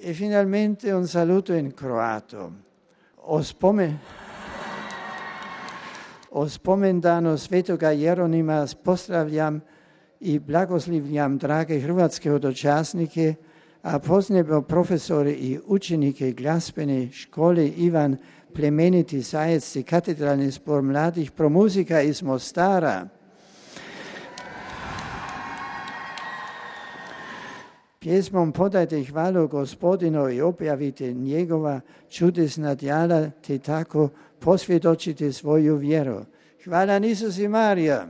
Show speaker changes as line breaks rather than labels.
E finalmente un saluto in croato. O spomendano Svetoga Jeronima pozdravljam i blagoslivljam drage hrvatske hodočasnike, a posebno profesore i učenike glazbene škole Ivan Plemeniti Zajec i katedralni zbor mladih promuzika iz Mostara. Pjesmom podajte hvalu Gospodinu i objavite njegova čudesna djela, te tako posvjedočite svoju vjeru. Hvala Isus i Marija.